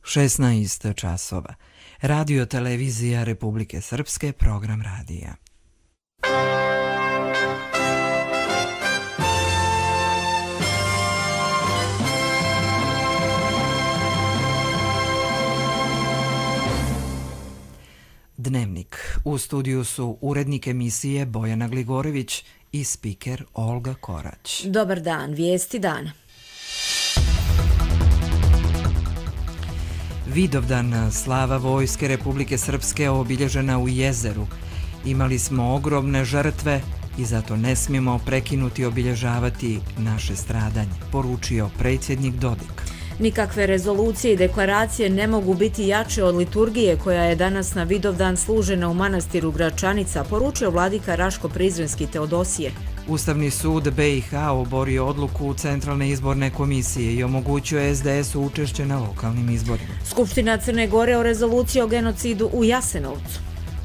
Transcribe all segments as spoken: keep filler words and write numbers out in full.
šesnaest časova. Radio televizija Republike Srpske, program radija. Dnevnik. U studiju su urednik emisije Bojana Gligorević i spiker Olga Korać. Dobar dan, vijesti dana. Vidovdan, slava Vojske Republike Srpske obilježena u Jezeru. Imali smo ogromne žrtve i zato ne smijemo prekinuti obilježavati naše stradanje, poručio predsjednik Dodik. Nikakve rezolucije i deklaracije ne mogu biti jače od liturgije koja je danas na Vidovdan služena u manastiru Gračanica, poručio vladika Raško-Prizrenski Teodosije. Ustavni sud B i H oborio odluku Centralne izborne komisije i omogućio S D S-u učešće na lokalnim izborima. Skupština Crne Gore o rezoluciji o genocidu u Jasenovcu.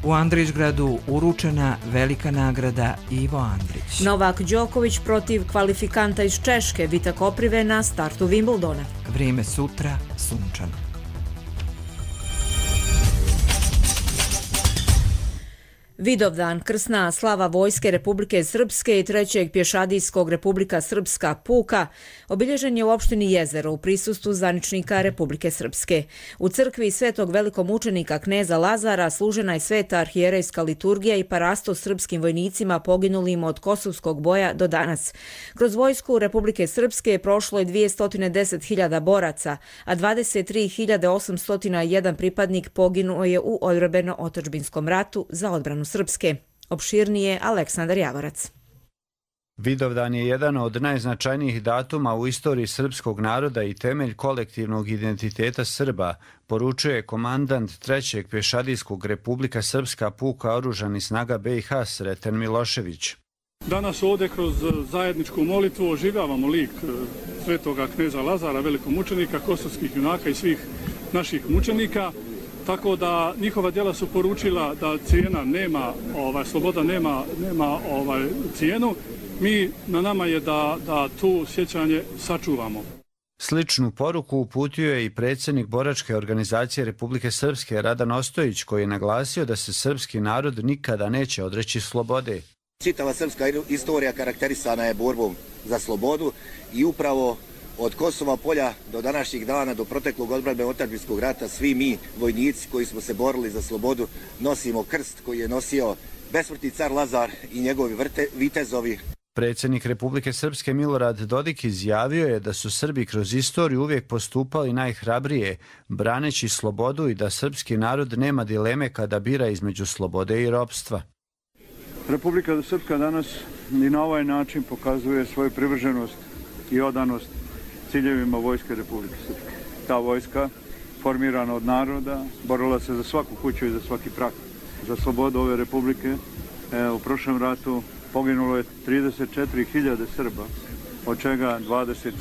U Andrićgradu uručena velika nagrada Ivo Andrić. Novak Đoković protiv kvalifikanta iz Češke, Vita Koprive na startu Wimbledona. Vrijeme sutra sunčano. Vidovdan, krsna slava Vojske Republike Srpske i trećeg pješadijskog Republika Srpska puka obilježen je u opštini Jezero u prisustvu zvaničnika Republike Srpske. U crkvi svetog velikomučenika kneza Lazara služena je sveta arhijerejska liturgija i parasto srpskim vojnicima poginulim od kosovskog boja do danas. Kroz Vojsku Republike Srpske prošlo je dvjesto deset hiljada boraca, a dvadeset tri hiljade osamsto jedan pripadnik poginuo je u odbrambeno-otadžbinskom ratu za odbranu Srpske. Opširnije Aleksandar Javorac. Vidovdan je jedan od najznačajnijih datuma u istoriji srpskog naroda i temelj kolektivnog identiteta Srba, poručuje komandant trećeg pješadijskog Republika Srpska puka oružanih snaga B i H Sreten Milošević. Danas ovdje kroz zajedničku molitvu oživljavamo lik svetoga kneza Lazara, velikomučenika, kosovskih junaka i svih naših mučenika. Tako da njihova djela su poručila da cijena nema, ovaj, sloboda nema, nema ovaj, cijenu. Mi, na nama je da, da tu sjećanje sačuvamo. Sličnu poruku uputio je i predsjednik boračke organizacije Republike Srpske Radan Ostojić, koji je naglasio da se srpski narod nikada neće odreći slobode. Čitava srpska istorija karakterisana je borbom za slobodu i upravo od Kosova polja do današnjih dana, do proteklog odbrambeno-otadžbinskog rata, svi mi, vojnici koji smo se borili za slobodu, nosimo krst koji je nosio besmrtni car Lazar i njegovi vrte, vitezovi. Predsjednik Republike Srpske Milorad Dodik izjavio je da su Srbi kroz istoriju uvijek postupali najhrabrije, braneći slobodu i da srpski narod nema dileme kada bira između slobode i ropstva. Republika Srpska danas i na ovaj način pokazuje svoju privrženost i odanost ciljevima Vojske Republike Srpske. Ta vojska, formirana od naroda, borila se za svaku kuću i za svaki prah. Za slobodu ove republike e, u prošlom ratu poginulo je trideset četiri hiljade Srba, od čega dvadeset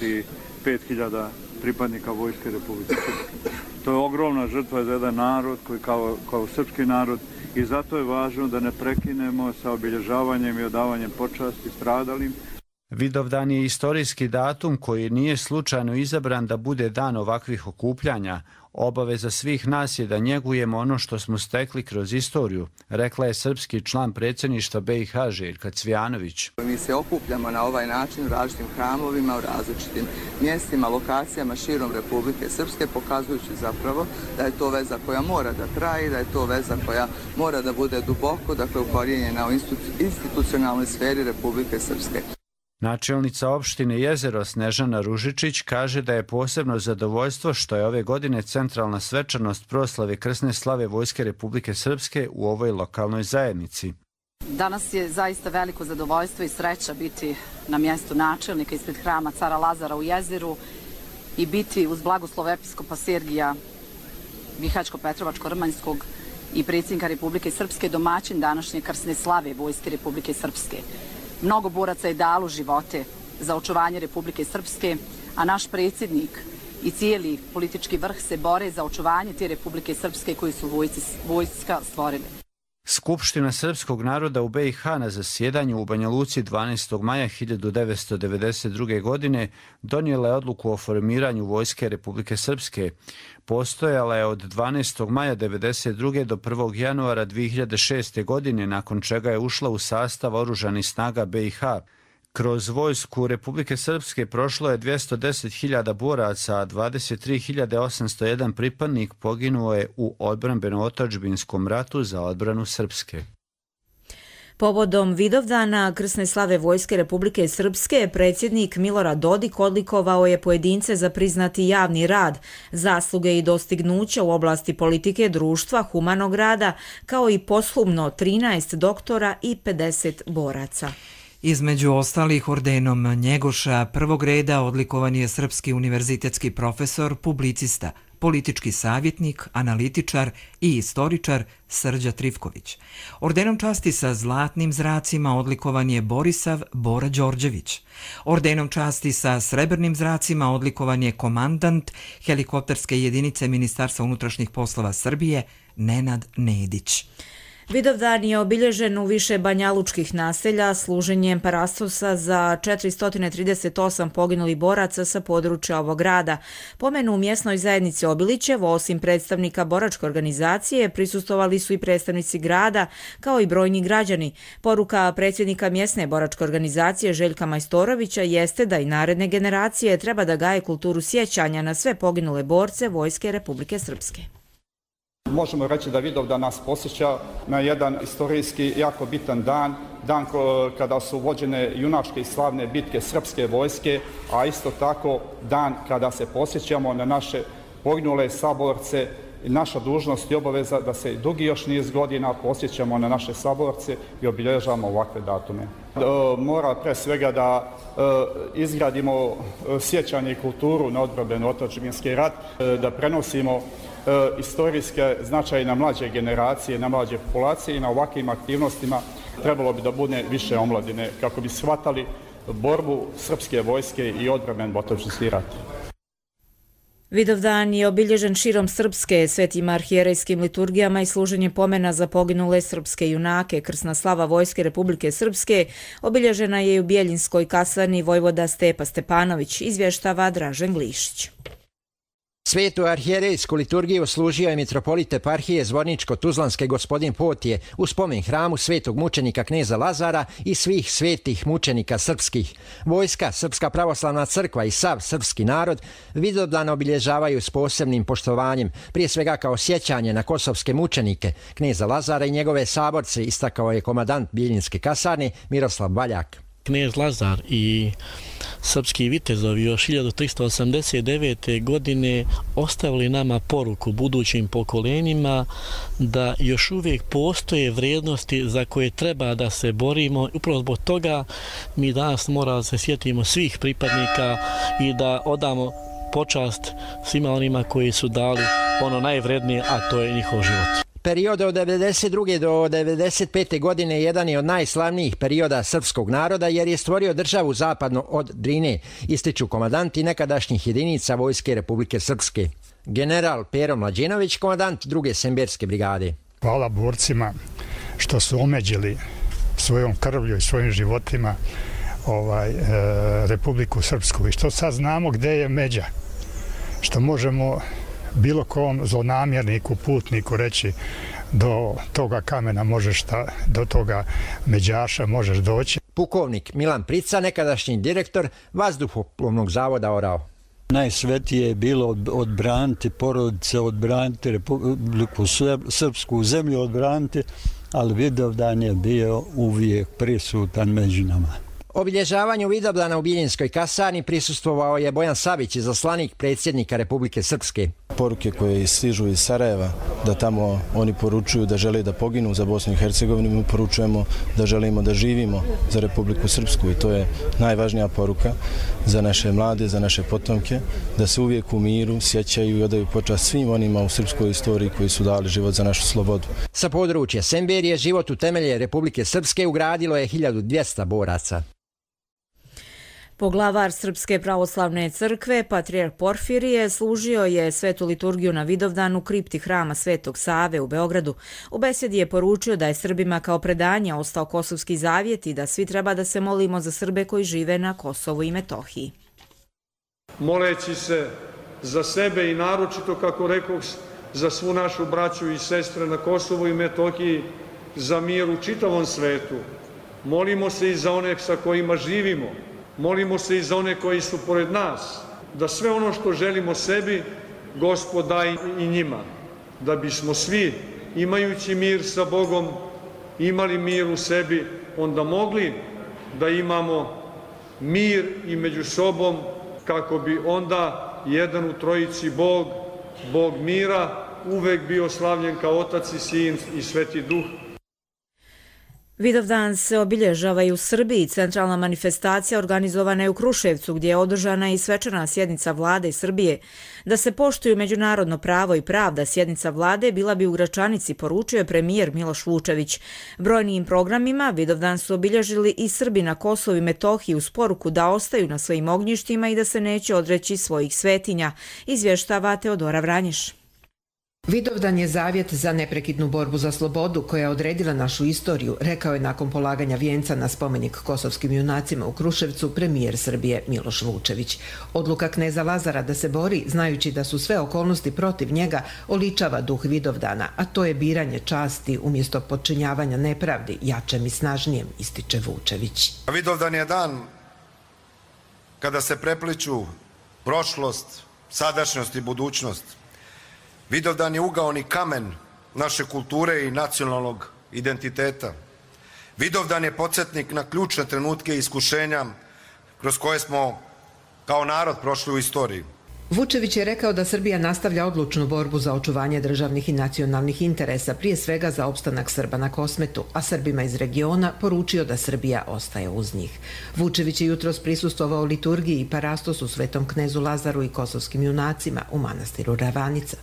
pet hiljada pripadnika Vojske Republike Srpske. To je ogromna žrtva za jedan narod koji kao, kao srpski narod, i zato je važno da ne prekinemo sa obilježavanjem i odavanjem počasti stradalim. Vidovdan je istorijski datum koji nije slučajno izabran da bude dan ovakvih okupljanja. Obaveza svih nas je da njegujemo ono što smo stekli kroz istoriju, rekla je srpski član predsjedništva B i H Željka Cvijanović. Mi se okupljamo na ovaj način u različitim hramovima, u različitim mjestima, lokacijama širom Republike Srpske, pokazujući zapravo da je to veza koja mora da traje, da je to veza koja mora da bude duboko, dakle ukorijenjena u institucionalnoj sferi Republike Srpske. Načelnica opštine Jezero Snežana Ružičić kaže da je posebno zadovoljstvo što je ove godine centralna svečanost proslave krsne slave Vojske Republike Srpske u ovoj lokalnoj zajednici. Danas je zaista veliko zadovoljstvo i sreća biti na mjestu načelnika ispred hrama cara Lazara u Jezeru i biti uz blagoslov episkopa Sergija Bihaćko-Petrovačko-Rmanjskog i predsjednika Republike Srpske domaćin današnje krsne slave Vojske Republike Srpske. Mnogo boraca je dalo živote za očuvanje Republike Srpske, a naš predsjednik i cijeli politički vrh se bore za očuvanje te Republike Srpske koju su vojci, vojska stvorili. Skupština srpskog naroda u B i H na zasjedanju u Banja Luci dvanaestog maja hiljadu devetsto devedeset druge. godine donijela je odluku o formiranju Vojske Republike Srpske. Postojala je od dvanaestog maja devedeset druge. do prvog januara dvije hiljade šeste. godine, nakon čega je ušla u sastav oružanih snaga B i H. Kroz Vojsku Republike Srpske prošlo je dvjesto deset hiljada boraca, a dvadeset tri hiljade osamsto jedan pripadnik poginuo je u odbrambeno-otadžbinskom ratu za odbranu Srpske. Povodom Vidovdana krsne slave Vojske Republike Srpske, predsjednik Milorad Dodik odlikovao je pojedince za priznati javni rad, zasluge i dostignuća u oblasti politike, društva, humanog rada, kao i posthumno trinaest doktora i pedeset boraca. Između ostalih ordenom Njegoša prvog reda odlikovan je srpski univerzitetski profesor, publicista, politički savjetnik, analitičar i istoričar Srđa Trifković. Ordenom časti sa zlatnim zracima odlikovan je Borisav Bora Đorđević. Ordenom časti sa srebrnim zracima odlikovan je komandant helikopterske jedinice Ministarstva unutrašnjih poslova Srbije Nenad Nedić. Vidovdan je obilježen u više banjalučkih naselja služenjem parastosa za četiristo trideset osam poginulih boraca sa područja ovog grada. Pomenu u mjesnoj zajednici Obilićevo, osim predstavnika boračke organizacije, prisustovali su i predstavnici grada, kao i brojni građani. Poruka predsjednika mjesne boračke organizacije Željka Majstorovića jeste da i naredne generacije treba da gaje kulturu sjećanja na sve poginule borce Vojske Republike Srpske. Možemo reći da Vidovdan nas posjeća na jedan istorijski jako bitan dan, dan kada su vođene junačke i slavne bitke srpske vojske, a isto tako dan kada se posjećamo na naše poginule saborce. Naša dužnost i obaveza da se dugi još niz godina posjećamo na naše saborce i obilježavamo ovakve datume. Mora pre svega da izgradimo sjećanje i kulturu na odbrambeno-otadžbinski rat, da prenosimo istorijske značaje na mlađe generacije, na mlađe populacije i na ovakvim aktivnostima trebalo bi da bude više omladine kako bi shvatali borbu srpske vojske i odbrambeno-otadžbinski rat. Vidovdan je obilježen širom Srpske svetim arhijerejskim liturgijama i služenjem pomena za poginule srpske junake. Krsna slava Vojske Republike Srpske obilježena je i u Bjeljinskoj kasarni vojvoda Stepa Stepanović, izvještava Dražen Glišić. Svetu arhijerejsku liturgiju služio je mitropolit eparhije Zvorničko-Tuzlanske gospodin Potije u spomen hramu svetog mučenika kneza Lazara i svih svetih mučenika srpskih. Vojska, Srpska pravoslavna crkva i sav srpski narod Vidovdan obilježavaju s posebnim poštovanjem, prije svega kao sjećanje na kosovske mučenike kneza Lazara i njegove saborce, istakao je komandant Bijeljinske kasarne Miroslav Baljak. Knez Lazar i srpski vitezovi još hiljadu tristo osamdeset devete. godine ostavili nama poruku budućim pokolenjima da još uvijek postoje vrijednosti za koje treba da se borimo. Upravo zbog toga mi danas moramo da se sjetimo svih pripadnika i da odamo počast svima onima koji su dali ono najvrednije, a to je njihov život. Period od devedeset druge do devedeset pete. godine jedan je od najslavnijih perioda srpskog naroda jer je stvorio državu zapadno od Drine, ističu komandanti nekadašnjih jedinica Vojske Republike Srpske. General Pero Mlađenović, komandant druge Semberske brigade. Hvala borcima što su omeđili svojom krvlju i svojim životima ovaj, e, Republiku Srpsku i što sad znamo gde je međa, što možemo bilo kom zlonamjerniku, putniku reći do toga kamena možeš ta, do toga međaša možeš doći. Pukovnik Milan Prica, nekadašnji direktor Vazduhoplovnog zavoda Orao. Najsvetije je bilo odbraniti porodice, odbraniti Republiku Srpsku zemlju, odbraniti, ali Vidovdan je bio uvijek prisutan među nama. Obilježavanju Vidovdana u Bijeljinskoj kasarni prisustvovao je Bojan Savić, izaslanik predsjednika Republike Srpske. Poruke koje stižu iz Sarajeva, da tamo oni poručuju da žele da poginu za Bosnu i Hercegovinu, mi poručujemo da želimo da živimo za Republiku Srpsku i to je najvažnija poruka za naše mlade, za naše potomke, da se uvijek u miru sjećaju i odaju počast svim onima u srpskoj istoriji koji su dali život za našu slobodu. Sa područja Semberije život u temelje Republike Srpske ugradilo je hiljadu dvjesto boraca. Poglavar Srpske pravoslavne crkve, patrijarh Porfirije, služio je svetu liturgiju na Vidovdan u kripti hrama Svetog Save u Beogradu. U besedi je poručio da je Srbima kao predanje ostao Kosovski zavjet i da svi treba da se molimo za Srbe koji žive na Kosovu i Metohiji. Moleći se za sebe i naročito, kako rekoh, za svu našu braću i sestre na Kosovu i Metohiji, za mir u čitavom svetu. Molimo se i za one sa kojima živimo. Molimo se i za one koji su pored nas, da sve ono što želimo sebi, Gospod daje i njima, da bismo svi, imajući mir sa Bogom, imali mir u sebi, onda mogli da imamo mir i među sobom, kako bi onda jedan u trojici Bog, Bog mira, uvek bio slavljen kao Otac i Sin i Sveti Duh. Vidovdan se obilježava i u Srbiji. Centralna manifestacija organizovana je u Kruševcu, gdje je održana i svečana sjednica vlade i Srbije. Da se poštuju međunarodno pravo i pravda, sjednica vlade bila bi u Gračanici, poručio je premijer Miloš Vučević. Brojnijim programima Vidovdan su obilježili i Srbi na Kosovu i Metohiji uz poruku da ostaju na svojim ognjištima i da se neće odreći svojih svetinja, izvještava Teodora Vranješ. Vidovdan je zavjet za neprekidnu borbu za slobodu koja je odredila našu istoriju, rekao je nakon polaganja vijenca na spomenik kosovskim junacima u Kruševcu premijer Srbije Miloš Vučević. Odluka kneza Lazara da se bori, znajući da su sve okolnosti protiv njega, oličava duh Vidovdana, a to je biranje časti umjesto podčinjavanja nepravdi, jačem i snažnijem, ističe Vučević. Vidovdan je dan kada se prepliču prošlost, sadašnjost i budućnost. Vidovdan je ugaoni kamen naše kulture i nacionalnog identiteta. Vidovdan je podsjetnik na ključne trenutke i iskušenja kroz koje smo kao narod prošli u istoriji. Vučević je rekao da Srbija nastavlja odlučnu borbu za očuvanje državnih i nacionalnih interesa, prije svega za opstanak Srba na Kosmetu, a Srbima iz regiona poručio da Srbija ostaje uz njih. Vučević je jutros prisustvovao liturgiji i parastosu Svetom knezu Lazaru i kosovskim junacima u manastiru Ravanica.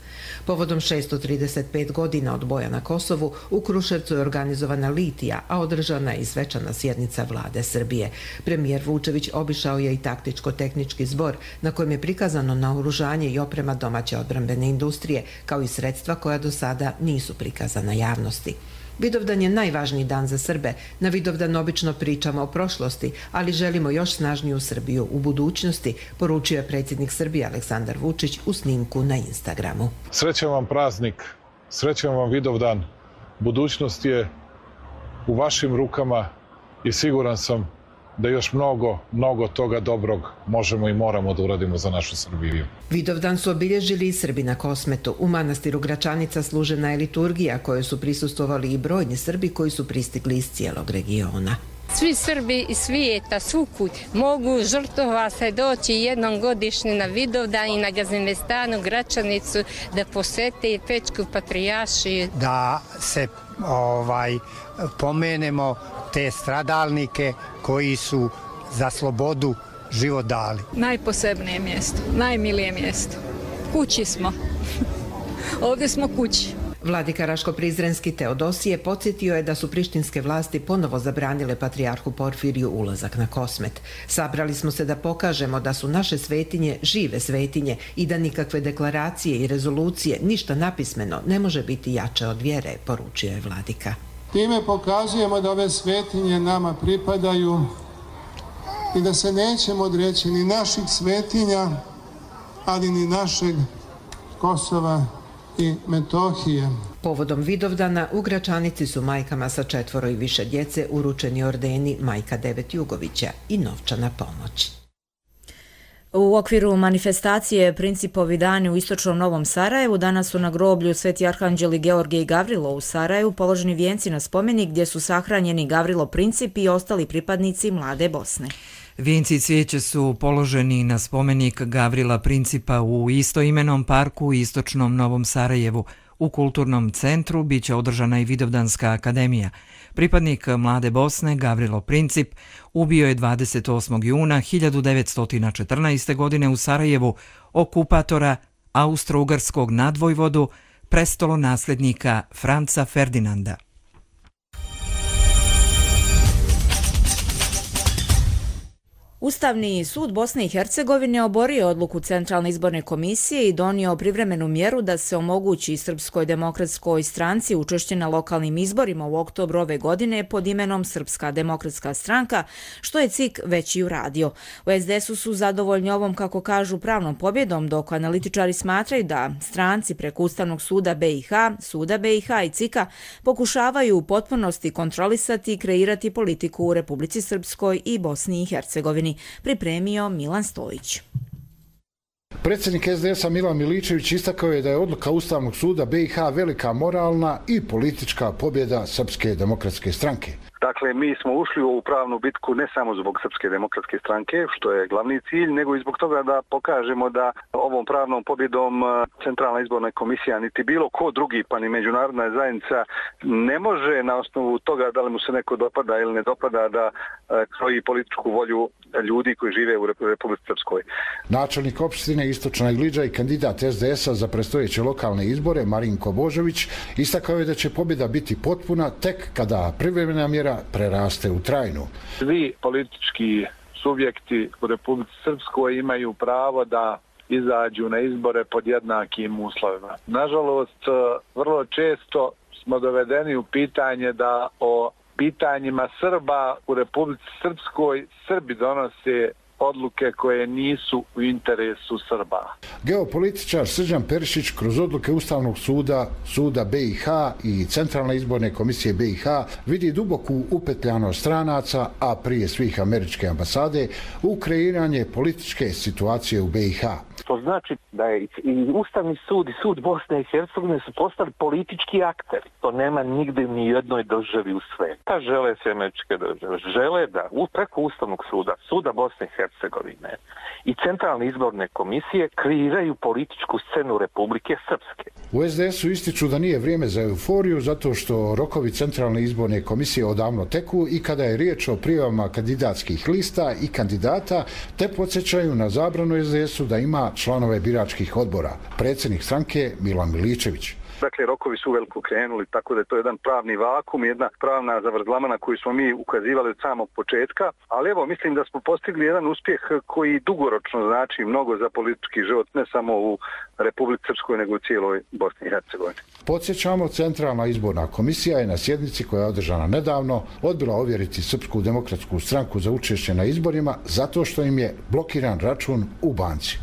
Povodom šesto trideset pet godina od boja na Kosovu, u Kruševcu je organizovana litija, a održana je i svečana sjednica vlade Srbije. Premijer Vučević obišao je i taktičko-tehnički zbor, na kojem je prikazano na oružanje i oprema domaće odbrambene industrije, kao i sredstva koja do sada nisu prikazana javnosti. Vidovdan je najvažniji dan za Srbe. Na Vidovdan obično pričamo o prošlosti, ali želimo još snažniju Srbiju u budućnosti, poručio je predsjednik Srbije Aleksandar Vučić u snimku na Instagramu. Srećan vam praznik, srećan vam Vidovdan. Budućnost je u vašim rukama i siguran sam da još mnogo, mnogo toga dobrog možemo i moramo da uradimo za našu Srbiju. Vidovdan su obilježili i Srbi na Kosmetu. U manastiru Gračanica služena je liturgija kojoj su prisustvovali i brojni Srbi koji su pristigli iz cijelog regiona. Svi Srbi iz svijeta, svukud, mogu žrtvova se doći jednom godišnje na Vidovdan i na Gazimestanu, Gračanicu, da posete Pećku patrijaršiju. Da se ovaj, pomenemo te stradalnike koji su za slobodu život dali. Najposebnije mjesto, najmilije mjesto. Kući smo. Ovdje smo kući. Vladika Raško-Prizrenski Teodosije podsjetio je da su prištinske vlasti ponovo zabranile patrijarhu Porfiriju ulazak na Kosmet. Sabrali smo se da pokažemo da su naše svetinje žive svetinje i da nikakve deklaracije i rezolucije, ništa napismeno, ne može biti jače od vjere, poručio je vladika. Time pokazujemo da ove svetinje nama pripadaju i da se nećemo odreći ni naših svetinja, ali ni našeg Kosova i Metohije. Povodom Vidovdana u Gračanici su majkama sa četvoro i više djece uručeni ordeni Majka Devet Jugovića i novčana pomoć. U okviru manifestacije Principovi dani u istočnom Novom Sarajevu danas su na groblju Sveti arhanđeli Georgije i Gavrilo u Sarajevu položeni vijenci na spomenik gdje su sahranjeni Gavrilo Princip i ostali pripadnici Mlade Bosne. Vijenci i cvijeće su položeni na spomenik Gavrila Principa u istoimenom parku u istočnom Novom Sarajevu. U kulturnom centru biće održana i Vidovdanska akademija. Pripadnik Mlade Bosne Gavrilo Princip ubio je dvadeset osmog juna hiljadu devetsto četrnaeste. godine u Sarajevu okupatora austro-ugarskog nadvojvodu, prestolonasljednika Franca Ferdinanda. Ustavni sud Bosne i Hercegovine oborio odluku Centralne izborne komisije i donio privremenu mjeru da se omogući Srpskoj demokratskoj stranci učešće na lokalnim izborima u oktobru ove godine pod imenom Srpska demokratska stranka, što je C I K već i uradio. U S D S-u su zadovoljni ovom, kako kažu, pravnom pobjedom, dok analitičari smatraju da stranci preko Ustavnog suda B i H, Suda B i H i C I K-a pokušavaju u potpunosti kontrolisati i kreirati politiku u Republici Srpskoj i Bosni i Hercegovini, pripremio Milan Stojić. Predsjednik S D S-a Milan Miličević istakao je da je odluka Ustavnog suda B i H velika moralna i politička pobjeda Srpske demokratske stranke. Dakle, mi smo ušli u ovu pravnu bitku ne samo zbog Srpske demokratske stranke, što je glavni cilj, nego i zbog toga da pokažemo da ovom pravnom pobjedom Centralna izborna komisija niti bilo ko drugi, pa ni međunarodna zajednica ne može na osnovu toga da li mu se neko dopada ili ne dopada da kroji političku volju ljudi koji žive u Republici Srpskoj. Načelnik opštine Istočna Gliđa i kandidat S D S-a za predstojeće lokalne izbore Marinko Božović istakao je da će pobjeda biti potpuna tek kada privremena mjera preraste u trajnu. Svi politički subjekti u Republici Srpskoj imaju pravo da izađu na izbore pod jednakim uslovima. Nažalost, vrlo često smo dovedeni u pitanje da o pitanjima Srba u Republici Srpskoj Srbi donose odluke koje nisu u interesu Srba. Geopolitičar Srđan Perišić kroz odluke Ustavnog suda, Suda B i H i Centralne izborne komisije B i H vidi duboku upetljanost stranaca, a prije svih američke ambasade, u kreiranje političke situacije u B i H. To znači da je i Ustavni sud i sud Bosne i Hercegovine su postali politički akteri. To nema nigde ni jednoj državi u svetu. Ta žele se američke države. Žele da preko Ustavnog suda, suda Bosne i Hercegovine i Centralne izborne komisije kreiraju političku scenu Republike Srpske. U S D S-u ističu da nije vrijeme za euforiju zato što rokovi Centralne izborne komisije odavno teku i kada je riječ o prijavama kandidatskih lista i kandidata, te podsjećaju na zabranu S D S-u da ima članove biračkih odbora. Predsjednik stranke Milan Miličević. Dakle, rokovi su veliko krenuli, tako da je to jedan pravni vakum, jedna pravna zavrzlama na koju smo mi ukazivali od samog početka, ali evo, mislim da smo postigli jedan uspjeh koji dugoročno znači mnogo za politički život, ne samo u Republici Srpskoj, nego u cijeloj Bosni i Hercegovini. Podsjećamo, Centralna izborna komisija je na sjednici koja je održana nedavno odbila ovjeriti Srpsku demokratsku stranku za učešće na izborima zato što im je blokiran račun u banci.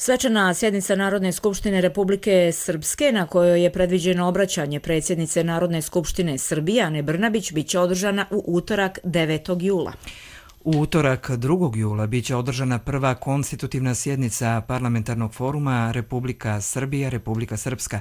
Svečana sjednica Narodne skupštine Republike Srpske, na kojoj je predviđeno obraćanje predsjednice Narodne skupštine Srbije Ane Brnabić, biće održana u utorak devetog jula. U utorak drugog jula biće održana prva konstitutivna sjednica parlamentarnog foruma Republika Srbija, Republika Srpska.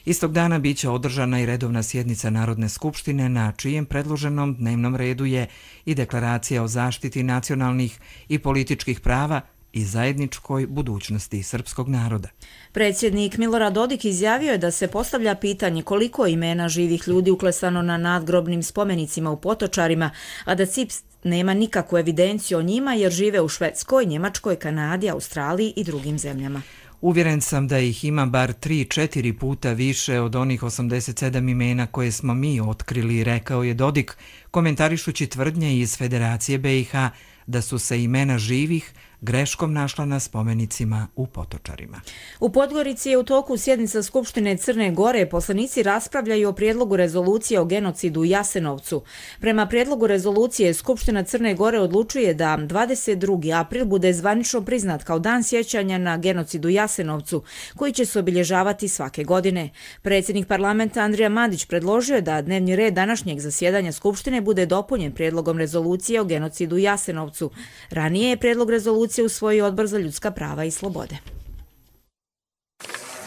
Istog dana biće održana i redovna sjednica Narodne skupštine na čijem predloženom dnevnom redu je i deklaracija o zaštiti nacionalnih i političkih prava i zajedničkoj budućnosti srpskog naroda. Predsjednik Milorad Dodik izjavio je da se postavlja pitanje koliko imena živih ljudi uklesano na nadgrobnim spomenicima u Potočarima, a da C I P nema nikakvu evidenciju o njima jer žive u Švedskoj, Njemačkoj, Kanadi, Australiji i drugim zemljama. Uvjeren sam da ih ima bar tri četiri puta više od onih osamdeset sedam imena koje smo mi otkrili, rekao je Dodik, komentarišući tvrdnje iz Federacije B i H da su se imena živih greškom našla na spomenicima u Potočarima. U Podgorici je u toku sjednica Skupštine Crne Gore. Poslanici raspravljaju o prijedlogu rezolucije o genocidu u Jasenovcu. Prema prijedlogu rezolucije, Skupština Crne Gore odlučuje da dvadeset drugi april bude zvanično priznat kao dan sjećanja na genocid u Jasenovcu, koji će se obilježavati svake godine. Predsjednik parlamenta Andrija Madić predložio je da dnevni red današnjeg zasjedanja Skupštine bude dopunjen prijedlogom rezolucije o genocidu u Jasenovcu. Ranije je prijedlog rezolucije usvojio Odbor za ljudska prava i slobode.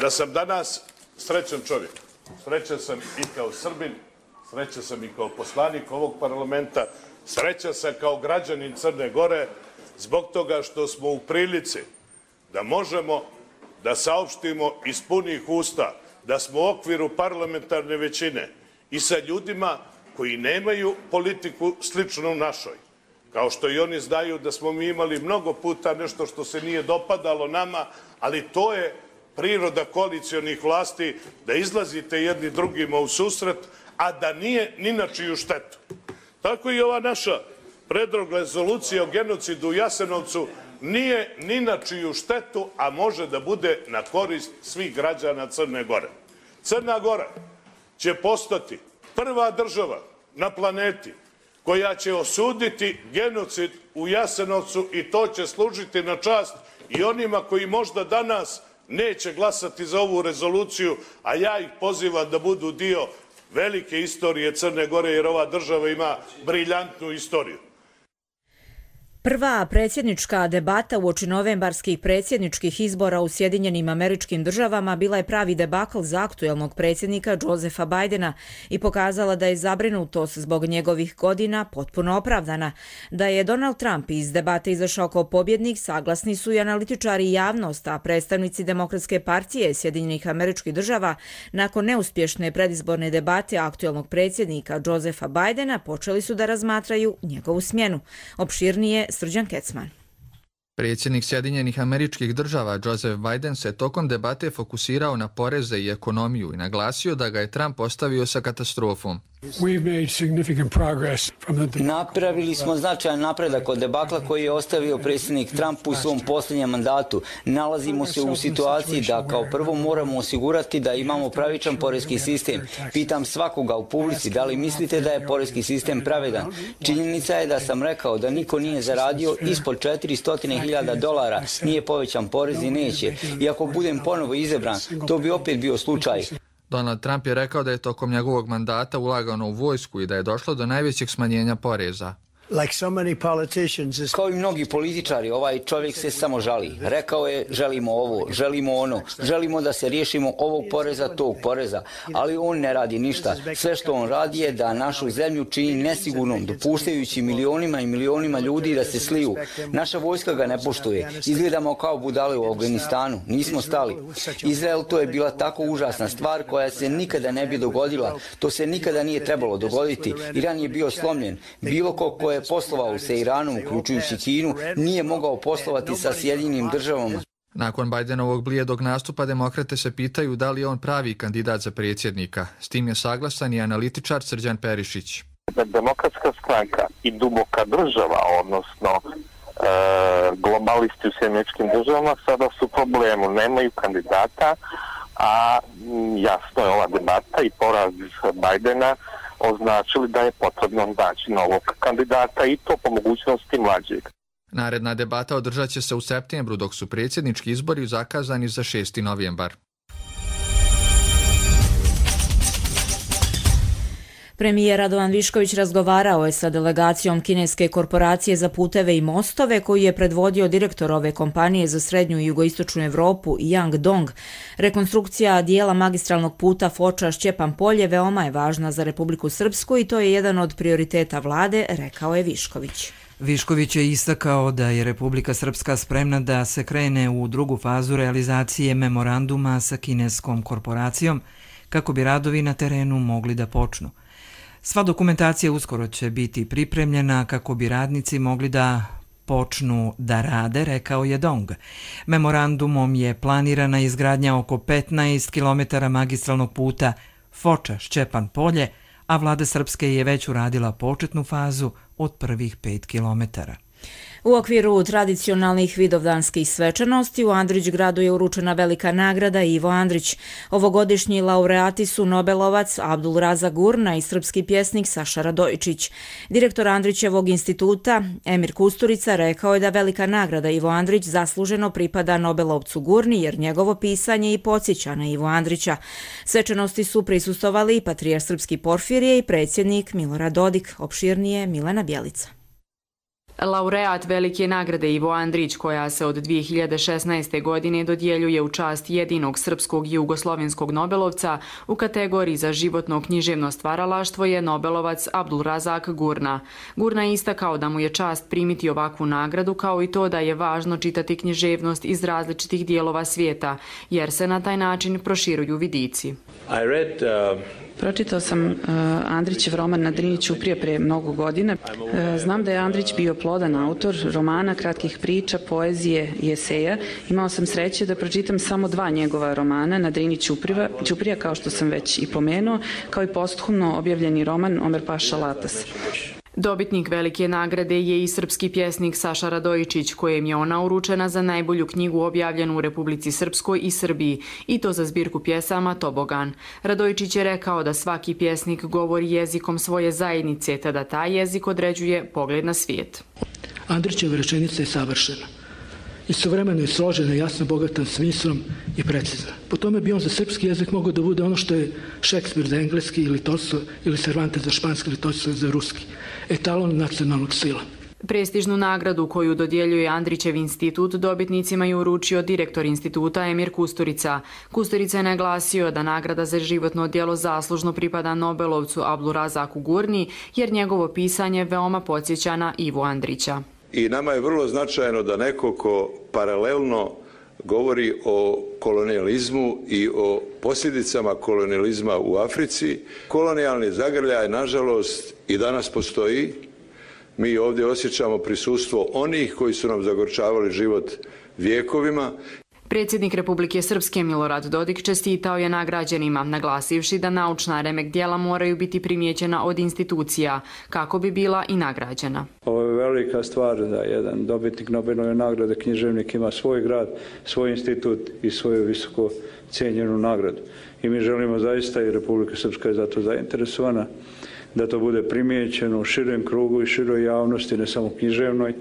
Da sam danas srećan čovjek, srećan sam i kao Srbin, srećan sam i kao poslanik ovog parlamenta, srećan sam kao građanin Crne Gore zbog toga što smo u prilici da možemo da saopštimo iz punih usta da smo u okviru parlamentarne većine i sa ljudima koji nemaju politiku sličnu našoj. Kao što i oni znaju da smo mi imali mnogo puta nešto što se nije dopadalo nama, ali to je priroda koalicionih vlasti, da izlazite jedni drugima u susret, a da nije ni na čiju štetu. Tako i ova naša predlog rezolucije o genocidu u Jasenovcu nije ni na čiju štetu, a može da bude na korist svih građana Crne Gore. Crna Gora će postati prva država na planeti koja će osuditi genocid u Jasenovcu i to će služiti na čast i onima koji možda danas neće glasati za ovu rezoluciju, a ja ih pozivam da budu dio velike istorije Crne Gore, jer ova država ima briljantnu istoriju. Prva predsjednička debata uoči novembarskih predsjedničkih izbora u Sjedinjenim Američkim Državama bila je pravi debakl za aktuelnog predsjednika Josepha Bidena i pokazala da je zabrinutost zbog njegovih godina potpuno opravdana. Da je Donald Trump iz debate izašao kao pobjednik saglasni su i analitičari i javnost, a predstavnici Demokratske partije Sjedinjenih Američkih Država nakon neuspješne predizborne debate aktuelnog predsjednika Josepha Bidena počeli su da razmatraju njegovu smjenu. Opširnije Srđan Kecman. Predsjednik Sjedinjenih Američkih Država Joseph Biden se tokom debate fokusirao na poreze i ekonomiju i naglasio da ga je Trump ostavio sa katastrofom. Napravili smo značajan napredak od debakla koji je ostavio predsjednik Trump u svom posljednjem mandatu. Nalazimo se u situaciji da kao prvo moramo osigurati da imamo pravičan porezki sistem. Pitam svakoga u publici da li mislite da je porezki sistem pravedan. Činjenica je da sam rekao da niko nije zaradio ispod četiristo hiljada dolara, nije povećan porez i neće. I ako budem ponovo izabran, to bi opet bio slučaj. Donald Trump je rekao da je tokom njegovog mandata ulagano u vojsku i da je došlo do najvećeg smanjenja poreza. Kao i mnogi političari, ovaj čovjek se samo žali. Rekao je, želimo ovo, želimo ono, želimo da se riješimo ovog poreza, tog poreza, ali on ne radi ništa. Sve što on radi je da našu zemlju čini nesigurnom, dopuštajući milionima i milionima ljudi da se sliju. Naša vojska ga ne poštuje. Izgledamo kao budale u Afganistanu. Nismo stali. Izrael, to je bila tako užasna stvar koja se nikada ne bi dogodila. To se nikada nije trebalo dogoditi. Iran je bio slomljen. Bilo ko ko je poslovao sa Iranom, uključujući Kinu, nije mogao poslovati sa Sjedinjenim Državama. Nakon Bidenovog blijedog nastupa demokrate se pitaju da li je on pravi kandidat za predsjednika. S tim je saglasan i analitičar Srđan Perišić. Demokratska stranka i duboka država, odnosno e, globalisti u Sjedinjenim Državama, sada su u problemu, nemaju kandidata, a jasno je ova debata i poraz Bidena označili da je potrebno naći novog kandidata i to po mogućnosti mlađeg. Naredna debata održat će se u septembru, dok su predsjednički izbori zakazani za šesti novembar. Premijer Radovan Višković razgovarao je sa delegacijom kineske korporacije za puteve i mostove koju je predvodio direktor ove kompanije za srednju i jugoistočnu Evropu Yang Dong. Rekonstrukcija dijela magistralnog puta Foča-Šćepan Polje veoma je važna za Republiku Srpsku i to je jedan od prioriteta vlade, rekao je Višković. Višković je istakao da je Republika Srpska spremna da se krene u drugu fazu realizacije memoranduma sa kineskom korporacijom kako bi radovi na terenu mogli da počnu. Sva dokumentacija uskoro će biti pripremljena kako bi radnici mogli da počnu da rade, rekao je Dong. Memorandumom je planirana izgradnja oko petnaest kilometara magistralnog puta Foča-Šćepan Polje, a vlada Srpske je već uradila početnu fazu od prvih pet kilometara. U okviru tradicionalnih vidovdanskih svečanosti u Andrićgradu je uručena velika nagrada Ivo Andrić. Ovogodišnji laureati su Nobelovac Abdulrazak Gurna i srpski pjesnik Saša Radojičić. Direktor Andrićevog instituta Emir Kusturica rekao je da velika nagrada Ivo Andrić zasluženo pripada Nobelovcu Gurni jer njegovo pisanje i podsjeća na Ivo Andrića. Svečanosti su prisustovali i patrijarh Srpski Porfirije i predsjednik Milorad Dodik. Opširnije Milena Bjelica. Laureat velike nagrade Ivo Andrić, koja se od dvije hiljade šesnaeste. godine dodjeljuje u čast jedinog srpskog i jugoslovenskog Nobelovca u kategoriji za životno književno stvaralaštvo je Nobelovac Abdulrazak Gurna. Gurna je istakao da mu je čast primiti ovakvu nagradu, kao i to da je važno čitati književnost iz različitih dijelova svijeta, jer se na taj način proširuju vidici. I read, uh... Pročitao sam uh, Andrićev roman Na Drini Ćuprije prije mnogo godina. Uh, znam da je Andrić bio plodan autor romana, kratkih priča, poezije i eseja. Imao sam sreće da pročitam samo dva njegova romana, Na Drini Ćuprija, Ćuprija, kao što sam već i pomenuo, kao i posthumno objavljeni roman Omer Paša Latas. Dobitnik velike nagrade je i srpski pjesnik Saša Radojičić, kojem je ona uručena za najbolju knjigu objavljenu u Republici Srpskoj i Srbiji, i to za zbirku pjesama Tobogan. Radojičić je rekao da svaki pjesnik govori jezikom svoje zajednice, te da taj jezik određuje pogled na svijet. Andrićeva rečenica je savršena. Istovremeno je složena, jasno, bogatan smislom i precizna. Po tome bi on za srpski jezik mogao da bude ono što je Šekspir za engleski ili Tolstoj ili Cervantes za španski ili Tolstoj za ruski. Etalon nacionalnog stila. Prestižnu nagradu koju dodjeljuje Andrićev institut dobitnicima je uručio direktor instituta Emir Kusturica. Kusturica je naglasio da nagrada za životno djelo zaslužno pripada Nobelovcu Abdurazaku Gurni, jer njegovo pisanje veoma podsjeća na Ivu Andrića. I nama je vrlo značajno da neko ko paralelno govori o kolonijalizmu i o posljedicama kolonijalizma u Africi. Kolonijalni zagrljaj, nažalost, i danas postoji. Mi ovdje osjećamo prisustvo onih koji su nam zagorčavali život vijekovima. Predsjednik Republike Srpske Milorad Dodik čestitao je nagrađenima, naglasivši da naučna remek djela moraju biti primijećena od institucija, kako bi bila i nagrađena. Ovo je velika stvar da jedan dobitnik Nobelove nagrade, književnik, ima svoj grad, svoj institut i svoju visoko cijenjenu nagradu. I mi želimo zaista, i Republika Srpska je zato zainteresovana, da to bude primijećeno u širem krugu i široj javnosti, ne samo književnoj.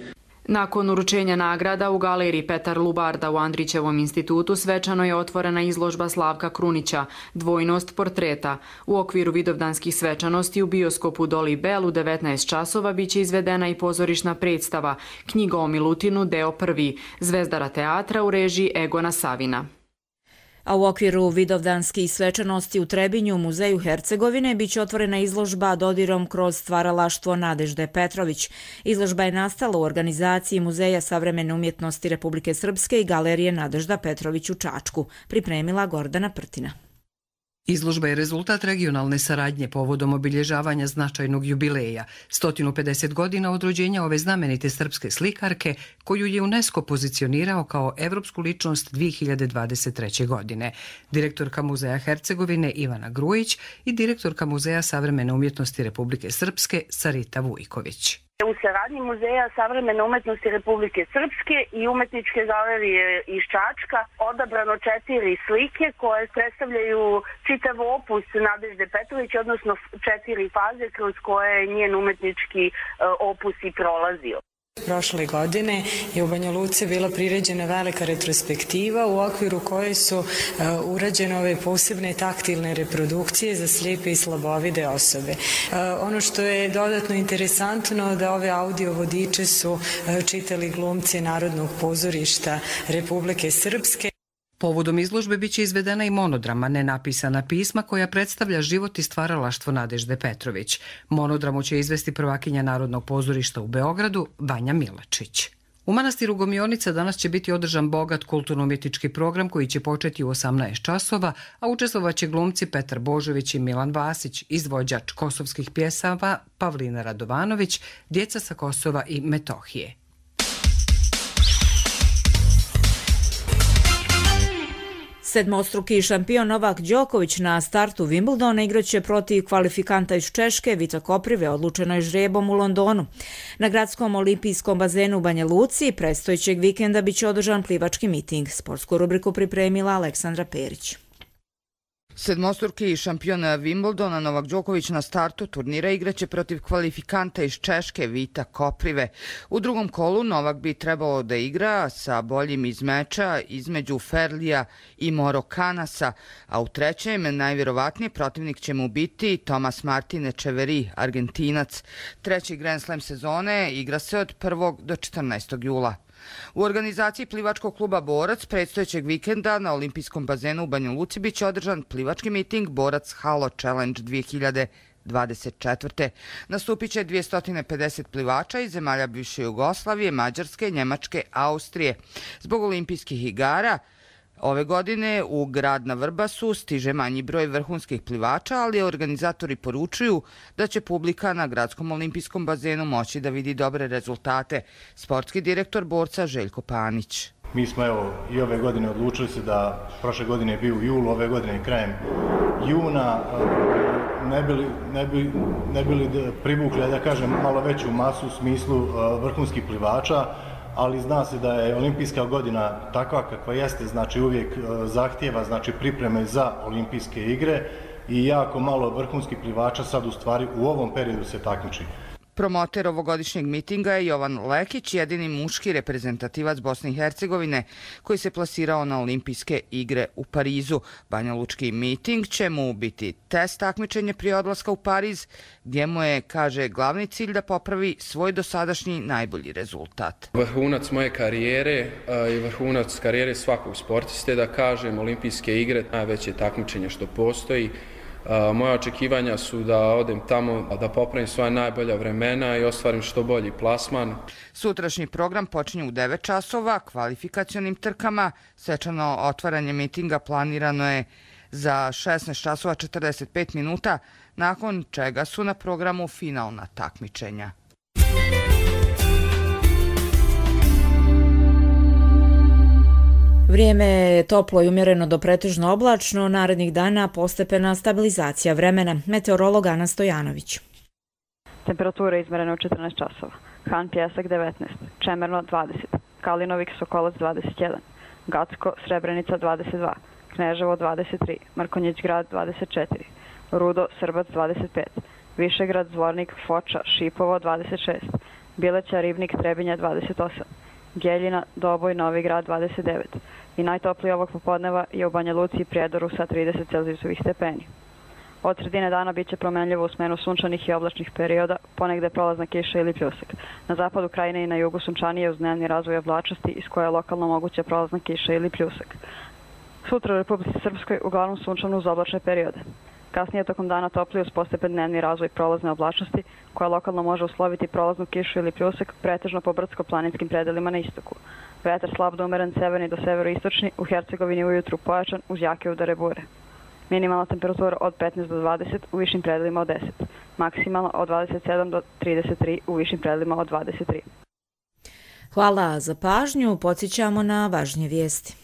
Nakon uručenja nagrada u galeriji Petar Lubarda u Andrićevom institutu svečano je otvorena izložba Slavka Krunića, Dvojnost portreta. U okviru vidovdanskih svečanosti u bioskopu Doli Bel u devetnaest časova biće izvedena i pozorišna predstava Knjiga o Milutinu, deo prvi, Zvezdara teatra u režiji Egona Savina. A u okviru vidovdanskih svečanosti u Trebinju, Muzeju Hercegovine, biće otvorena izložba dodirom kroz stvaralaštvo Nadežde Petrović. Izložba je nastala u organizaciji Muzeja savremene umjetnosti Republike Srpske i Galerije Nadežda Petrović u Čačku, pripremila Gordana Prtina. Izložba je rezultat regionalne saradnje povodom obilježavanja značajnog jubileja, sto pedeset godina od rođenja ove znamenite srpske slikarke, koju je UNESCO pozicionirao kao evropsku ličnost dvije hiljade dvadeset treće. godine. Direktorka Muzeja Hercegovine Ivana Grujić i direktorka Muzeja savremene umjetnosti Republike Srpske Sarita Vujković. U saradnji Muzeja savremene umetnosti Republike Srpske i Umetničke galerije iz Čačka odabrano četiri slike koje predstavljaju čitav opus Nadežde Petrović, odnosno četiri faze kroz koje je njen umetnički opus i prolazio. Prošle godine je u Banja Luci bila priređena velika retrospektiva u okviru koje su uh, urađene ove posebne taktilne reprodukcije za slijepe i slabovide osobe. Uh, ono što je dodatno interesantno da ove audio vodiče su uh, čitali glumci Narodnog pozorišta Republike Srpske. Povodom izložbe biće izvedena i monodrama Nenapisana pisma koja predstavlja život i stvaralaštvo Nadežde Petrović. Monodramu će izvesti prvakinja Narodnog pozorišta u Beogradu Vanja Milačić. U manastiru Gomionica danas će biti održan bogat kulturno-umjetnički program koji će početi u osamnaest časova, a učestvovaće glumci Petar Božović i Milan Vasić, izvođač kosovskih pjesama Pavlina Radovanović, djeca sa Kosova i Metohije. Sedmostruki šampion Novak Đoković na startu Wimbledona igraće protiv kvalifikanta iz Češke Vita Koprive, odlučeno je žrebom u Londonu. Na gradskom olimpijskom bazenu u Banja Luci predstojećeg vikenda biće održan plivački miting. Sportsku rubriku pripremila Aleksandra Perić. Sedmostruki šampion Wimbledona Novak Đoković na startu turnira igraće protiv kvalifikanta iz Češke Vita Koprive. U drugom kolu Novak bi trebalo da igra sa boljim iz meča između Ferlija i Morokanasa, a u trećem najvjerovatnije protivnik će mu biti Tomas Martin Echeverry, Argentinac. Treći Grand Slam sezone igra se od prvog do četrnaestog jula. U organizaciji plivačkog kluba Borac predstojećeg vikenda na olimpijskom bazenu u Banja Luci biće održan plivački miting Borac Halo Challenge dvije hiljade dvadeset četvrte. Nastupit će dvjesto pedeset plivača iz zemalja bivše Jugoslavije, Mađarske, Njemačke, Austrije. Zbog olimpijskih igara ove godine u grad na Vrbasu stiže manji broj vrhunskih plivača, ali organizatori poručuju da će publika na gradskom olimpijskom bazenu moći da vidi dobre rezultate. Sportski direktor Borca Željko Panić. Mi smo evo i ove godine odlučili se da prošle godine je bio u julu, ove godine je krajem juna. ne bili, ne bili, ne bili privukli, da kažem, malo veću masu u smislu vrhunskih plivača, ali zna se da je olimpijska godina takva kakva jeste, znači uvijek zahtjeva znači pripreme za olimpijske igre i jako malo vrhunskih plivača sad u stvari u ovom periodu se takmiči. Promoter ovogodišnjeg mitinga je Jovan Lekić, jedini muški reprezentativac Bosne i Hercegovine koji se plasirao na olimpijske igre u Parizu. Banjalučki miting će mu biti test takmičenja prije odlaska u Pariz, gdje mu je, kaže, glavni cilj da popravi svoj dosadašnji najbolji rezultat. Vrhunac moje karijere i vrhunac karijere svakog sportiste, da kažem, olimpijske igre, najveće takmičenje što postoji. Moja očekivanja su da odem tamo, da popravim svoja najbolja vremena i ostvarim što bolji plasman. Sutrašnji program počinje u devet časova kvalifikacionim trkama. Svečano otvaranje mitinga planirano je za šesnaest časova četrdeset pet minuta, nakon čega su na programu finalna takmičenja. Vrijeme je toplo i umjereno do pretežno oblačno, narednih dana postepena stabilizacija vremena. Meteorolog Ana Stojanović. Temperatura izmerena u četrnaest časova. Han Pjesak devetnaest, Čemerno dvadeset, Kalinovik Sokolac dvadeset jedan, Gacko Srebrenica dvadeset dva, Kneževo dvadeset tri, Mrkonjić Grad dvadeset četiri, Rudo Srbac dvadeset pet, Višegrad Zvornik Foča Šipovo dvadeset šest, Bileća Ribnik Trebinja dvadeset osam, Geljina, Doboj, Novi Grad dvadeset devet i najtopliji ovog popodneva je u Banja Luci i Prijedoru sa trideset celzijusovih stepeni. Od sredine dana bit će promenljivo u smenu sunčanih i oblačnih perioda, ponegde prolazna kiša ili pljusak. Na zapadu krajine i na jugu sunčanije uz dnevni razvoj oblačnosti iz koje je lokalno moguća prolazna kiša ili pljusak. Sutra u Republici Srpskoj uglavnom sunčano uz oblačne periode. Kasnije tokom dana toplije uz postepen dnevni razvoj prolazne oblačnosti, koja lokalno može usloviti prolaznu kišu ili pljusak, pretežno po brdsko-planinskim predelima na istoku. Vetar slab do umeren severni do severoistočni, u Hercegovini ujutru pojačan uz jake udare bure. Minimalna temperatura od petnaest do dvadeset, u višim predelima od deset. Maksimalna od dvadeset sedam do trideset tri, u višim predelima od dvadeset tri. Hvala za pažnju, podsjećamo na važnije vijesti.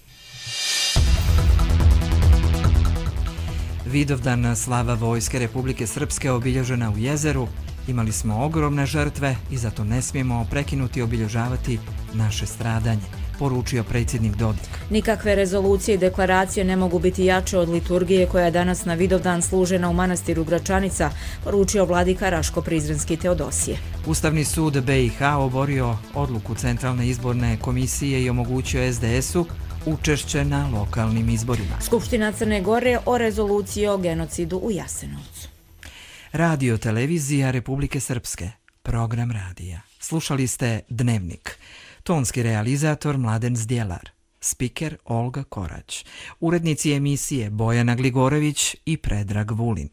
Vidovdan slava Vojske Republike Srpske obilježena u Jezeru. Imali smo ogromne žrtve i zato ne smijemo prekinuti obilježavati naše stradanje, poručio predsjednik Dodik. Nikakve rezolucije i deklaracije ne mogu biti jače od liturgije koja je danas na Vidovdan služena u manastiru Gračanica, poručio vladika Raško-Prizrenski Teodosije. Ustavni sud B i H oborio odluku Centralne izborne komisije i omogućio es de esu učešće na lokalnim izborima. Skupština Crne Gore o rezoluciji o genocidu u Jasenovcu. Radio televizija Republike Srpske, program radija. Slušali ste Dnevnik. Tonski realizator Mladen Zdjelar, spiker Olga Korać, urednici emisije Bojana Gligorević i Predrag Vulin.